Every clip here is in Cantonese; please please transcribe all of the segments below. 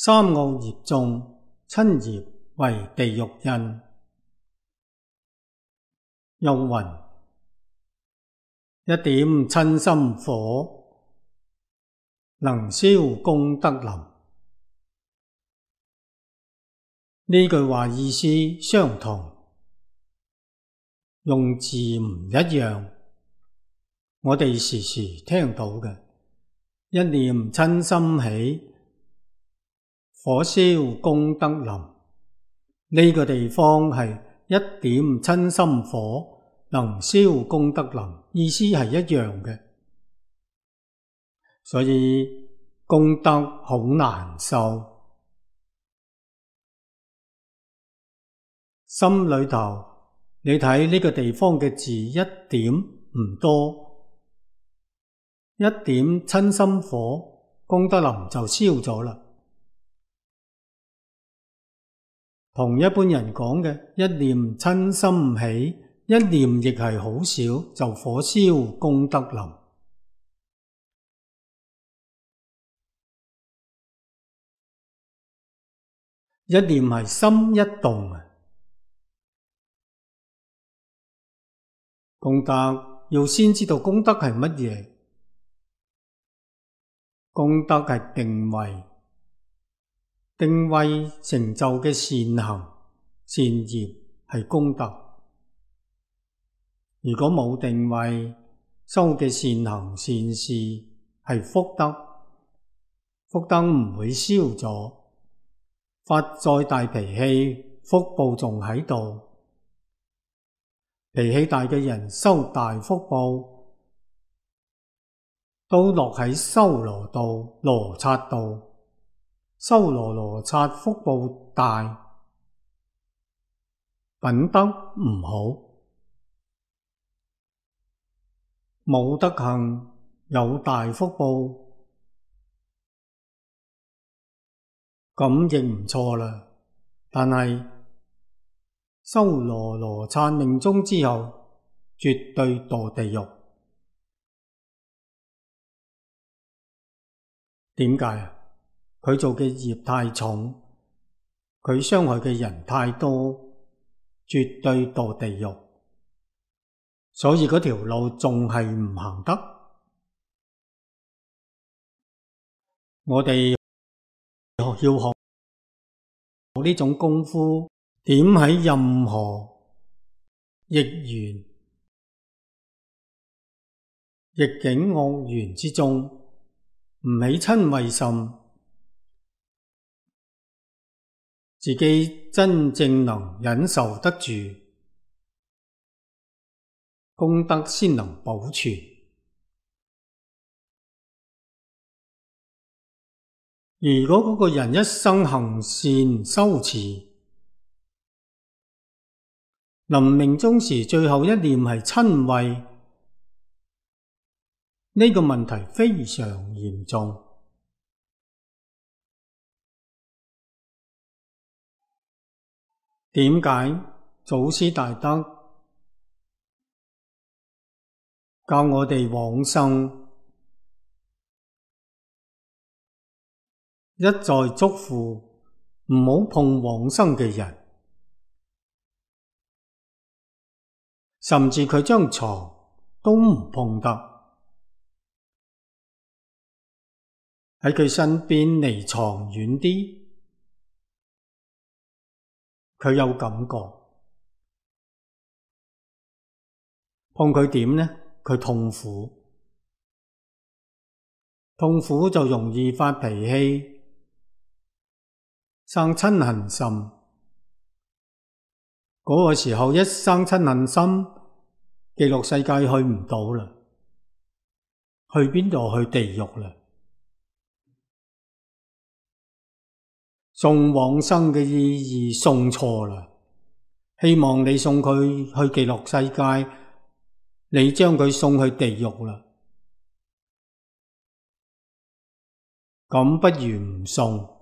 三惡業眾，親業為地獄印。又云：一點親心火，能燒功德林。呢句話意思相同，用字唔一樣。我哋時時聽到嘅，一念親心起，火燒功德林。呢個地方係一點親心火，能燒功德林，意思係一樣嘅。所以功德好難受。心裏頭，你睇呢個地方嘅字一點唔多，一點親心火，功德林就燒咗啦。同一般人講嘅一念親心起，一念亦係好少，就火燒功德林。一念係心一動啊！功德要先知道功德係乜嘢？功德係定位，定位成就嘅善行、善業係功德。如果冇定位，修嘅善行、善事係福德，福德唔會燒咗。發再大脾氣，福報仲喺度。脾氣大嘅人修大福報，都落喺修羅道、羅剎道。修羅剎福報大，品德唔好，冇德行，有大福報，咁亦唔錯啦。但係修羅剎命終之後，絕對墮地獄。點解啊？佢做嘅業太重，佢傷害嘅人太多，絕對墮地獄。所以嗰條路仲係唔行得。我哋要學呢種功夫，點喺任何逆緣、逆境惡緣之中，唔起瞋恚心，自己真正能忍受得住，功德先能保存。如果嗰個人一生行善修持，臨命終時最後一念係瞋恚，呢個問題非常嚴重。點解祖師大德教我哋往生，一再囑咐唔好碰往生嘅人，甚至佢張床都唔碰得，喺佢身邊離床遠啲，佢有感覺。碰佢點呢？佢痛苦，痛苦就容易發脾氣，生瞋恨心。嗰個時候一生瞋恨心，極樂世界去唔到啦，去邊度？去地獄啦。送往生嘅意義送錯啦，希望你送佢去極樂世界，你將佢送去地獄啦，咁不如唔送。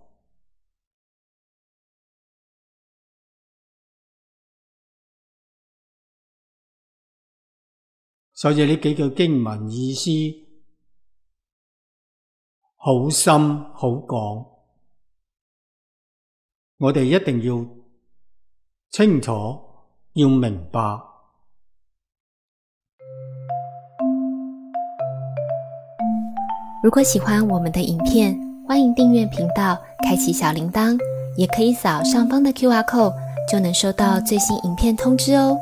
所以呢幾句經文意思好深好廣。我哋一定要清楚，要明白。如果喜欢我们的影片，欢迎订阅频道，开启小铃铛，也可以扫上方的 QR code，就能收到最新影片通知哦。